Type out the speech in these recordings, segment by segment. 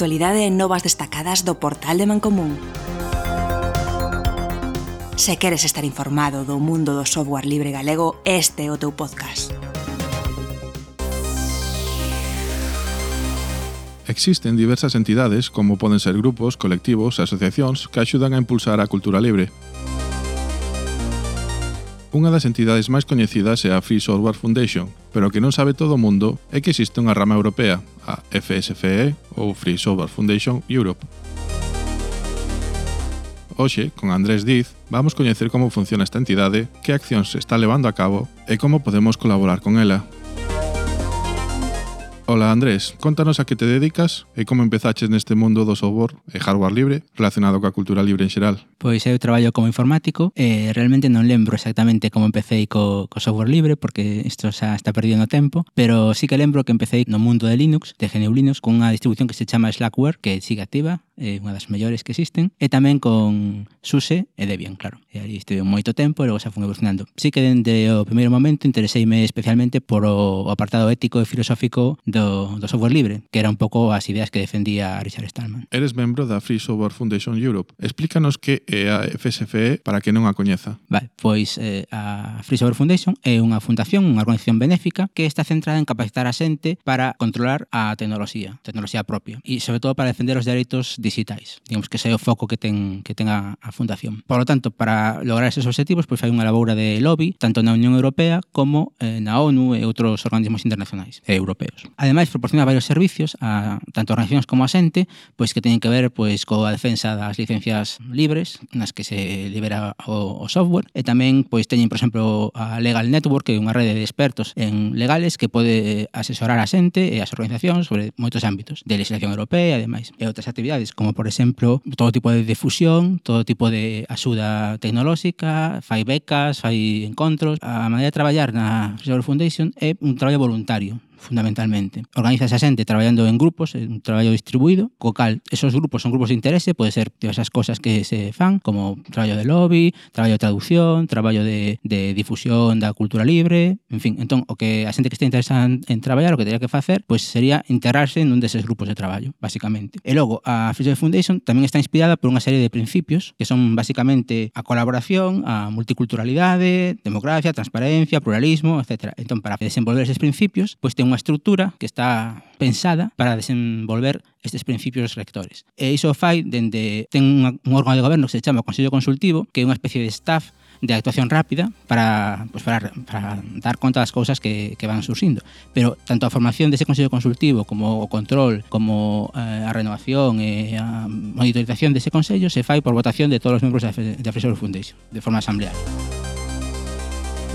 actualidade e novas destacadas do portal de Mancomún. Se queres estar informado do mundo do software libre galego, este é o teu podcast. Existen diversas entidades, como poden ser grupos, colectivos e asociacións que axudan a impulsar a cultura libre. Unha das entidades máis coñecidas é a Free Software Foundation, pero o que non sabe todo o mundo é que existe unha rama europea, a FSFE ou Free Software Foundation Europe. Hoxe, con Andrés Diz, vamos coñecer como funciona esta entidade, que accións se está levando a cabo e como podemos colaborar con ela. Ola Andrés, contanos a que te dedicas e como empezaches neste mundo do software e hardware libre relacionado coa cultura libre en xeral. Pois eu traballo como informático e realmente non lembro exactamente como empecé co software libre porque isto xa está perdido no tempo, pero sí que lembro que empecé no mundo de Linux, de GNU Linux, con unha distribución que se chama Slackware, que sigue activa, é unha das mellores que existen, e tamén con SUSE e Debian, claro. E ali estive moito tempo e logo xa fui evolucionando. Sí que dende o primeiro momento intereseime especialmente por o apartado ético e filosófico do software libre, que era un pouco as ideas que defendía Richard Stallman. Eres membro da Free Software Foundation Europe. Explícanos que é a FSFE para que non a coñeza. Vale, pois a Free Software Foundation é unha fundación, unha organización benéfica que está centrada en capacitar a xente para controlar a tecnoloxía propia e sobre todo para defender os dereitos digitais. Digamos que ese é o foco que ten a fundación. Por lo tanto, para lograr esos objetivos, pois hai unha laboura de lobby tanto na Unión Europea como na ONU e outros organismos internacionais e europeos. Ademais, proporciona varios servicios a tanto organizacións como a xente, pois que teñen que ver pois coa defensa das licencias libres nas que se libera o software e tamén pois teñen, por exemplo, a Legal Network, que é unha rede de expertos en legales que pode asesorar a xente e as organizacións sobre moitos ámbitos de legislación europea e demais. E outras actividades, como por exemplo, todo tipo de difusión, todo tipo de axuda tecnolóxica, fai becas, fai encontros. A maneira de traballar na Free Software Foundation é un traballo voluntario, fundamentalmente. Organiza esa xente traballando en grupos, un traballo distribuído, co cal esos grupos son grupos de interese, pode ser diversas cosas que se fan, como traballo de lobby, traballo de traducción, traballo de difusión da cultura libre, en fin. Entón, o que a xente que este interesada en traballar, o que teria que facer, pois sería integrarse nun deses grupos de traballo, basicamente. E logo, a Free Software Foundation tamén está inspirada por unha serie de principios que son basicamente a colaboración, a multiculturalidade, democracia, transparencia, pluralismo, etc. Entón, para desenvolver eses principios, pois ten unha estrutura que está pensada para desenvolver estes principios rectores. E iso fai dende ten un órgano de goberno que se chama Consello Consultivo, que é unha especie de staff de actuación rápida para dar conta das cousas que van surxindo. Pero tanto a formación dese Consello Consultivo como o control, como a renovación e a monitorización dese Consello se fai por votación de todos os membros da Free Software Foundation, de forma asamblearia.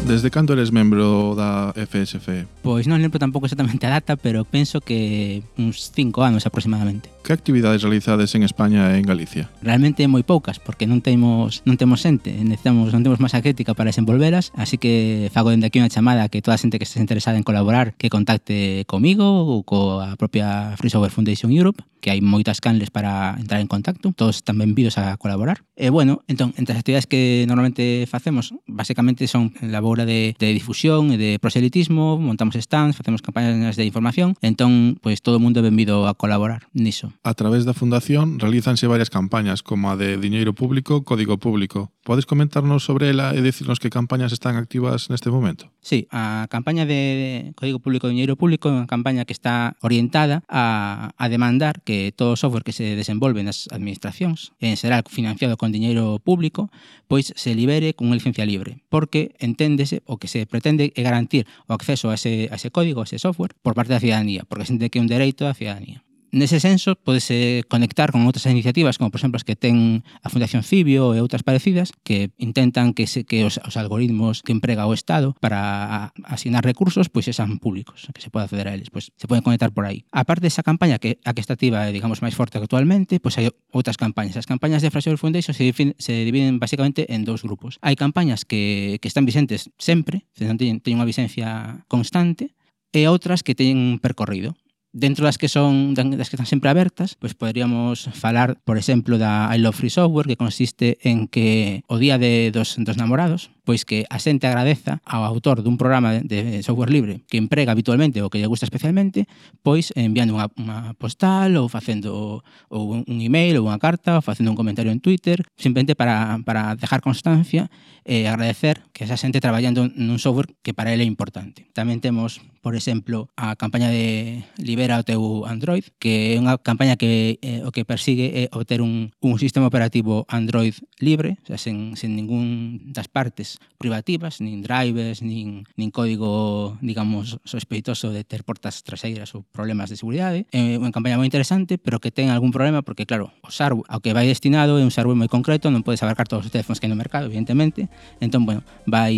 Desde cando eres membro da FSFE? Pois non lembro tampouco exactamente a data, pero penso que uns 5 anos aproximadamente. Que actividades realizades en España e en Galicia? Realmente moi poucas, porque non temos xente, non temos masa crítica para desenvolveras, así que fago dende aquí unha chamada a que toda a xente que esté interesada en colaborar que contacte comigo ou coa propia Free Software Foundation Europe, que hai moitas canles para entrar en contacto, todos están benvidos a colaborar. E bueno, entón, entre as actividades que normalmente facemos, basicamente son labora de difusión e de proselitismo, montamos stands, facemos campañas de información, entón, pois todo o mundo é benvido a colaborar niso. A través da Fundación realízanse varias campañas, como a de Diñeiro Público, Código Público. Podes comentarnos sobre ela e dicirnos que campañas están activas neste momento? Sí, a campaña de Código Público e Diñeiro Público é unha campaña que está orientada a demandar que todo o software que se desenvolve nas administracións, en xeral financiado con diñeiro público, pois se libere con unha licencia libre, porque enténdese o que se pretende é garantir o acceso a ese código, a ese software, por parte da cidadanía, porque se entende que é un dereito da cidadanía. Nese senso, podese conectar con outras iniciativas, como por exemplo as que ten a Fundación Cibio e outras parecidas, que intentan que os algoritmos que emprega o Estado para asignar recursos, pois sean públicos, que se poda acceder a eles, pois se poden conectar por aí. A parte desa campaña, que a que está activa, digamos, máis forte que actualmente, pois hai outras campañas. As campañas de Free Software Foundation se dividen basicamente en dous grupos. Hai campañas que están vigentes sempre, teñen unha vigencia constante, e outras que teñen un percorrido. Dentro das que están sempre abertas, pois poderíamos falar, por exemplo, da I Love Free Software, que consiste en que o día dos namorados, Pois que a xente agradeza ao autor dun programa de software libre que emprega habitualmente ou que lle gusta especialmente, pois enviando unha postal ou facendo ou un email ou unha carta ou facendo un comentario en Twitter, simplemente para dejar constancia e agradecer que esa xente traballando nun software que para ele é importante. Tamén temos, por exemplo, a campaña de Libera o teu Android, que é unha campaña que o que persigue é obter un sistema operativo Android libre, o sea, sen ningún das partes privativas, nin drivers, nin código, digamos, sospeitoso de ter portas traseiras ou problemas de seguridade. É unha campaña moi interesante, pero que ten algún problema porque, claro, o hardware ao que vai destinado é un hardware moi concreto, non podes abarcar todos os teléfonos que hai no mercado, evidentemente. Entón, bueno, vai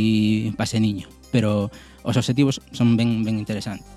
pase niño, pero os objetivos son ben interesantes.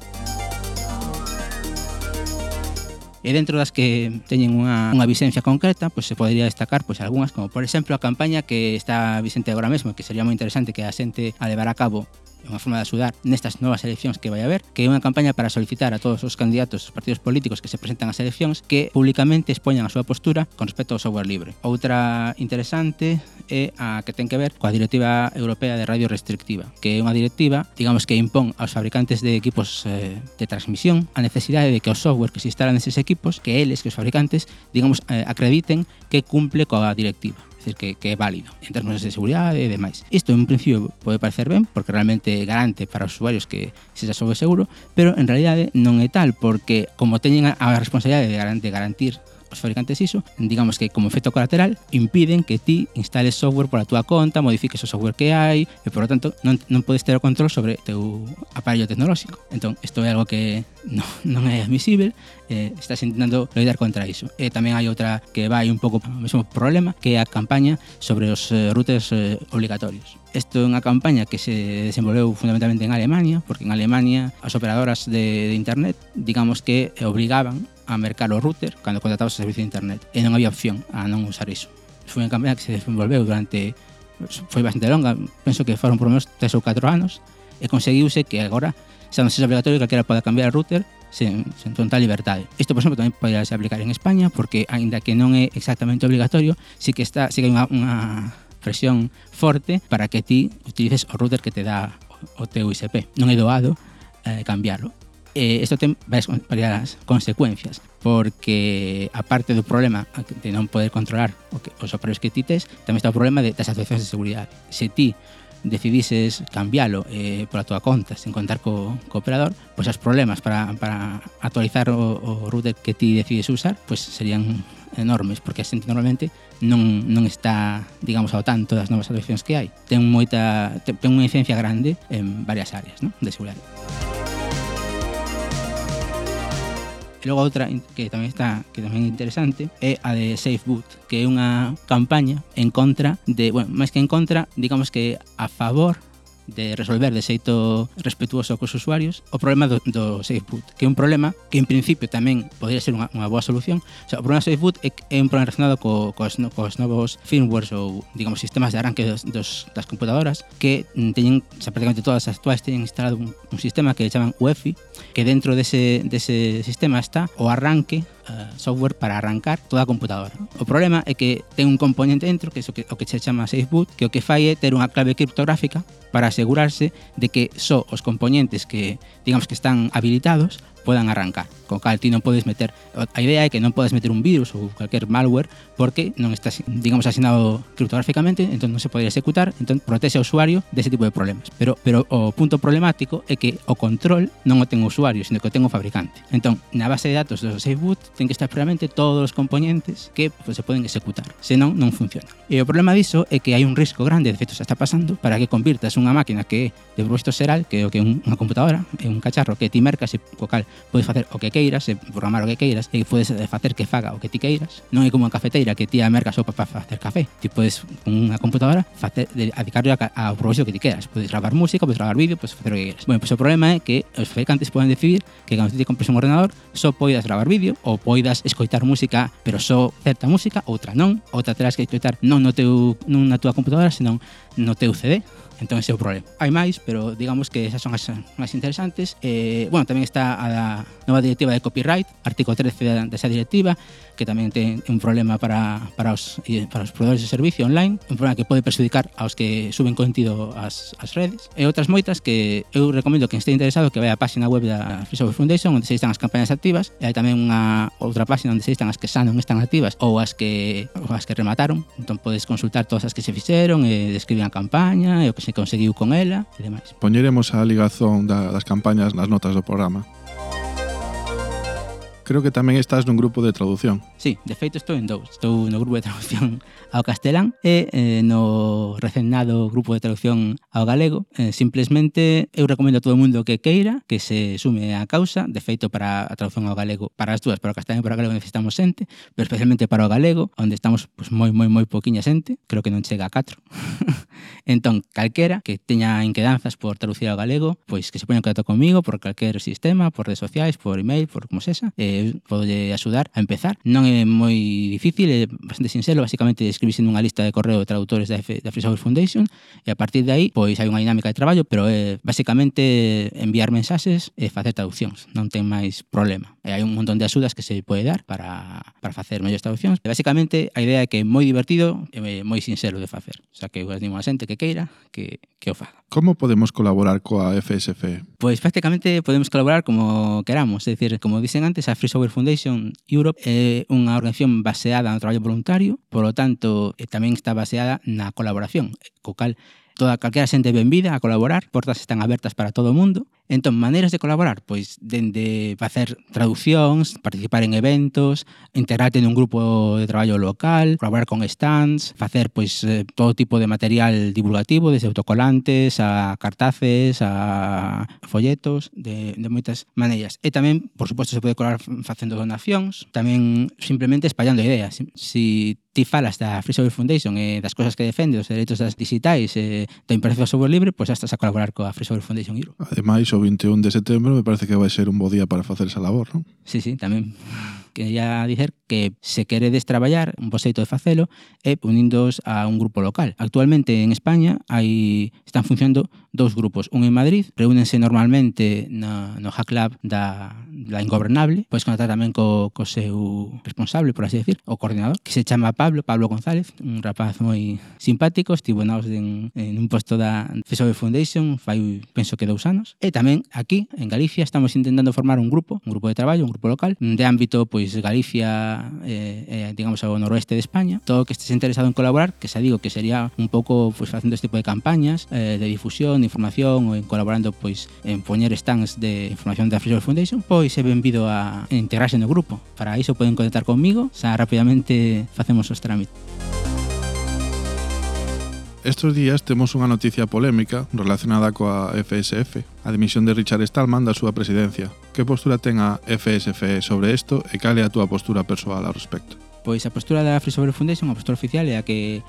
E dentro das que teñen unha vixencia concreta, pois se podría destacar pois algunhas, como por exemplo a campaña que está vixente agora mesmo, que sería moi interesante que a xente a levar a cabo unha forma de axudar nestas novas eleccións que vai haber, que é unha campaña para solicitar a todos os candidatos dos partidos políticos que se presentan ás eleccións que públicamente expoñan a súa postura con respecto ao software libre. Outra interesante é a que ten que ver coa Directiva Europea de Radio Restrictiva, que é unha directiva, digamos, que impón aos fabricantes de equipos de transmisión a necesidade de que o software que se instala neses equipos, que eles, que os fabricantes, digamos, acrediten que cumple coa directiva. É dicir, que é válido en termos de seguridade e demais. Isto en principio pode parecer ben porque realmente garante para os usuarios que sexa software seguro, pero en realidade non é tal porque como teñen a responsabilidade de garantir os fabricantes iso, digamos que como efecto colateral impiden que ti instales software pola túa conta, modifiques o software que hai e por lo tanto non podes ter o control sobre o teu aparello tecnolóxico. Entón, isto é algo que non é admisible, estás intentando loitar contra iso. E tamén hai outra que vai un pouco ao mesmo problema, que é a campaña sobre os routers obligatorios. Isto é unha campaña que se desenvolveu fundamentalmente en Alemania, porque en Alemania as operadoras de internet, digamos que obrigaban a mercar o router cando contratabas o servicio de internet e non había opción a non usar iso. Foi unha campaña que se desenvolveu foi bastante longa, penso que foron por lo menos 3 ou 4 anos e conseguiuse que agora xa non sexa obligatorio que calquera poda cambiar o router sen total liberdade. Isto, por exemplo, tamén podría se aplicar en España porque, aínda que non é exactamente obligatorio, sí que hai unha presión forte para que ti utilices o router que te dá o teu ISP. Non é doado cambiarlo. Isto ten varias consecuencias, porque aparte do problema de non poder controlar os aparellos que ti tes, tamén está o problema das actuacións de seguridade. Se ti decidises cambialo pola túa conta sen contar co operador, pois os problemas para actualizar o router que ti decides usar pois serían enormes, porque a xente normalmente non está, digamos, ao tanto das novas actuacións que hai. Ten unha incidencia grande en varias áreas, ¿no?, de seguridade. E logo outra que tamén é interesante é a de SafeBoot, que é unha campaña en contra de, bueno, máis que en contra, digamos que a favor de resolver de xeito respetuoso cos usuarios o problema do SafeBoot, que é un problema que en principio tamén podría ser unha boa solución. O sea, o problema do SafeBoot é un problema relacionado cos novos firmwares ou, digamos, sistemas de arranque das computadoras que teñen, o sea, prácticamente todas as actuais teñen instalado un sistema que chaman UEFI, que dentro dese sistema está o arranque software para arrancar toda a computadora. O problema é que ten un componente dentro que é o que se chama SafeBoot, que o que fai é ter unha clave criptográfica para asegurarse de que só os componentes que, digamos, que están habilitados podan arrancar, co cal ti non podes meter, a idea é que non podes meter un virus ou cualquier malware porque non está, digamos, asignado criptográficamente, entón non se podría executar, entón protege ao usuario dese tipo de problemas. Pero o punto problemático é que o control non o ten o usuario, sino que o ten o fabricante. Entón, na base de datos do SafeBoot ten que estar previamente todos os componentes que pues, se poden executar, senón non funciona. E o problema diso é que hai un risco grande, de feito se está pasando, para que convirtas unha máquina que é de propósito xeral, que é o que é unha computadora, é un cacharro que ti mercas e co cal podes facer o que queiras, programar o que queiras, e podes facer que faga o que ti queiras. Non é como unha cafeteira que ti a mercas só para facer café. Ti podes, con unha computadora, dedicarlo ao propósito que ti queras. Podes gravar música, podes gravar vídeo, podes facer o que queiras. Bueno, pois o problema é que os fabricantes poden decidir que cando te compres un ordenador só poidas gravar vídeo ou poidas escoitar música, pero só certa música, outra non, outra terás que escoitar non na túa computadora, senón no teu CD. Entón ese é o problema. Hai máis, pero digamos que esas son as máis interesantes. Bueno, tamén está a nova directiva de copyright, artigo 13 desa directiva, que tamén ten un problema para os proveedores de servicio online, un problema que pode perjudicar aos que suben contido ás redes. E outras moitas que eu recomendo que este interesado que vai á página web da Free Software Foundation, onde se listan as campañas activas, e hai tamén unha outra página onde se listan as que xa non están activas ou as que remataron. Entón podes consultar todas as que se fixeron e describir a campaña e o que se conseguiu con ela e demais. Poñeremos a ligazón das campañas nas notas do programa. Creo que tamén estás nun grupo de traducción. Sí, de feito estou en dous. Estou no grupo de traducción ao castelán e no recendado grupo de traducción ao galego. Simplemente eu recomendo a todo o mundo que queira que se sume á causa. De feito, para a traducción ao galego, para as dúas, para o castelán e para o galego necesitamos xente, pero especialmente para o galego, onde estamos pues, moi poquinha xente, creo que non chega a 4. Entón, calquera que teña inquedanzas por traducir ao galego, pois que se poña en contacto comigo por calquer sistema, por redes sociais, por email, por como sexa, podolle axudar a empezar. Non é moi difícil, é bastante sinxelo, basicamente escribirse nunha lista de correo de traductores da Free Software Foundation e a partir de aí, pois hai unha dinámica de traballo, pero é basicamente enviar mensaxes e facer traduccións, non ten máis problema. E hai un montón de axudas que se pode dar para facer mellores traduccións. E basicamente a idea é que é moi divertido e moi sinxelo de facer. O sea, que eu animo a xente que queira que o faga. Como podemos colaborar coa FSFE? Pois prácticamente podemos colaborar como queramos, é dicir, como dicen antes, a Free Software Foundation Europe é unha organización baseada no traballo voluntario, por lo tanto, tamén está baseada na colaboración, co cal calquera xente benvida a colaborar, portas están abertas para todo o mundo. Entón, maneiras de colaborar, pois dende facer traduccións, participar en eventos, integrarte nun grupo de traballo local, colaborar con stands, facer pois todo tipo de material divulgativo, desde autocolantes a cartaces, a folletos, de moitas maneiras. E tamén, por suposto, se pode colaborar facendo donacións, tamén simplemente espallando ideas. Si ti falas da Free Software Foundation e das cosas que defende, os dereitos das digitais e da impartición do software libre, pois estás a colaborar coa Free Software Foundation Europe. Ademais, o 21 de setembro me parece que vai ser un bo día para facer esa labor, non? Sí, tamén. Quería dicer que se queredes traballar, un bo xeito de facelo é uníndoos a un grupo local. Actualmente en España están funcionando dous grupos. Un en Madrid, reúnense normalmente no Hack Lab da Ingobernable, podes contactar tamén co seu responsable, por así decir, o coordinador, que se chama Pablo González, un rapaz moi simpático, estivo en un posto da Free Software Foundation penso que 2 anos. E tamén aquí, en Galicia, estamos intentando formar un grupo de traballo, un grupo local, de ámbito Galicia, digamos, ao noroeste de España. Todo que estés interesado en colaborar, que xa digo que sería un pouco facendo este tipo de campañas de difusión, de información ou en colaborando en poñer stands de información da Free Software Foundation, pois é benvido a integrarse no grupo. Para iso poden contactar conmigo, xa rapidamente facemos os trámites. Estos días temos unha noticia polémica relacionada coa FSF, a dimisión de Richard Stallman da súa presidencia. Que postura ten a FSF sobre isto e cal é a túa postura persoal ao respecto? Pois a postura da Free Software Foundation, a postura oficial, é a que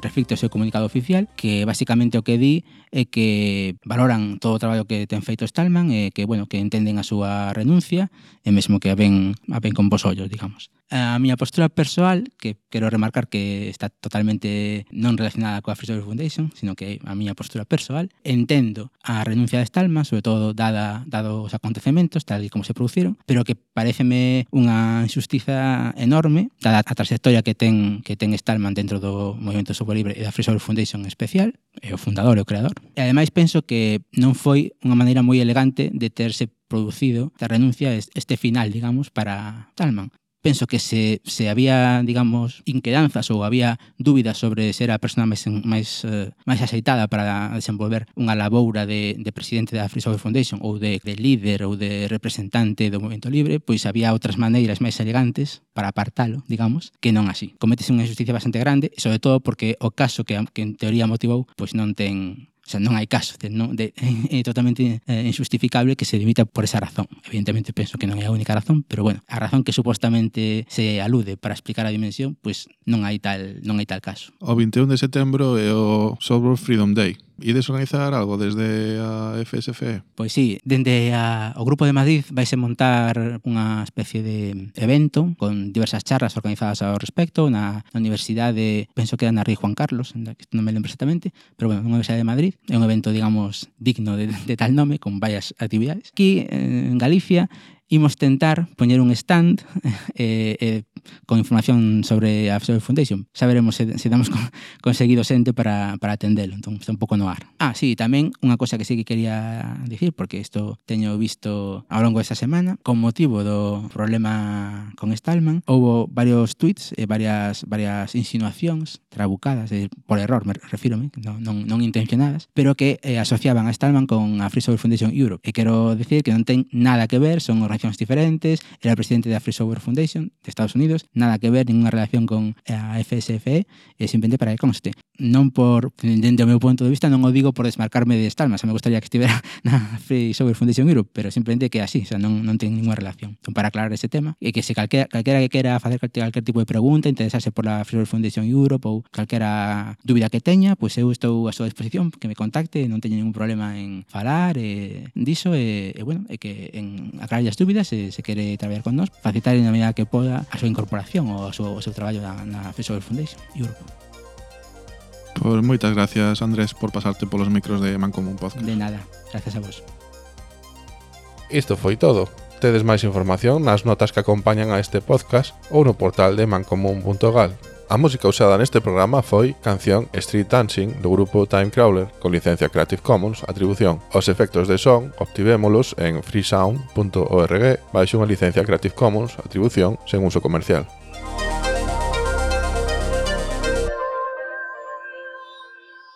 reflicte o seu comunicado oficial, que basicamente o que di é que valoran todo o traballo que ten feito Stallman e que, bueno, que entenden a súa renuncia e mesmo que a ven con bons ollos, digamos. A miña postura persoal, que quero remarcar que está totalmente non relacionada coa Free Software Foundation, sino que a miña postura persoal, entendo a renuncia de Stallman, sobre todo dado os acontecementos, tal e como se produciron, pero que pareceme unha injustiza enorme, dada a trayectoria que ten Stallman dentro do movimento software libre e da Free Software Foundation en especial, é o fundador e o creador. E ademais penso que non foi unha maneira moi elegante de terse producido esta renuncia, este final, digamos, para Stallman. Penso que se había, digamos, inquedanzas ou había dúbidas sobre ser a persona máis axeitada para desenvolver unha laboura de presidente da Free Software Foundation ou de líder ou de representante do movimento libre, pois había outras maneiras máis elegantes para apartalo, digamos, que non así. Cométese unha injusticia bastante grande, e sobre todo porque o caso que en teoría motivou, pois non ten... O sea, non hai caso, é totalmente injustificable que se limita por esa razón. Evidentemente penso que non é a única razón, pero bueno, a razón que supostamente se alude para explicar a dimensión, pois non hai tal caso. O 21 de setembro é o Software Freedom Day. Ides organizar algo desde a FSFE? Pois sí, dende o Grupo de Madrid vaise montar unha especie de evento con diversas charlas organizadas ao respecto na Universidade, penso que era na Rei Juan Carlos, non me lembro exactamente, pero bueno, unha Universidade de Madrid. É un evento, digamos, digno de tal nome, con varias actividades. Aquí, en Galicia, imos tentar poñer un stand con información sobre a Free Software Foundation. Xa veremos se damos conseguido xente para atendelo. Entón, está un pouco no ar. Sí, tamén unha cosa que sí que quería dicir, porque isto teño visto ao longo desta semana, con motivo do problema con Stallman, houbo varios tweets e varias insinuacións trabucadas, por error, me refírome, non intencionadas, pero que asociaban a Stallman con a Free Software Foundation Europe. E quero dicir que non ten nada que ver, son organizacións diferentes, era presidente da Free Software Foundation de Estados Unidos, nada que ver, ninguna relación con a FSFE, simplemente para que conste. Non por, dende o meu punto de vista, non o digo por desmarcarme de Stallman, xa me gustaría que estivera na Free Software Foundation Europe, pero simplemente que así, xa non ten ninguna relación. Entón, para aclarar ese tema, e que se calquera que quera facer calquer tipo de pregunta, interesarse por la Free Software Foundation Europe ou calquera dúbida que teña, pois eu estou a súa disposición, que me contacte, non teño ningún problema en falar diso, bueno, e que en aclarar as dúbidas, se quere traballar con nós, facilitar na medida que poda a súa incorporación ou o seu traballo na Free Software Foundation Europe. Pois moitas gracias, Andrés, por pasarte polos micros de Mancomún Podcast. De nada, gracias a vos. Isto foi todo. Tedes máis información nas notas que acompañan a este podcast ou no portal de mancomún.gal. A música usada neste programa foi canción Street Dancing do grupo Timecrawler con licencia Creative Commons Atribución. Os efectos de son obtivémolos en freesound.org baixo unha licencia Creative Commons Atribución sen uso comercial.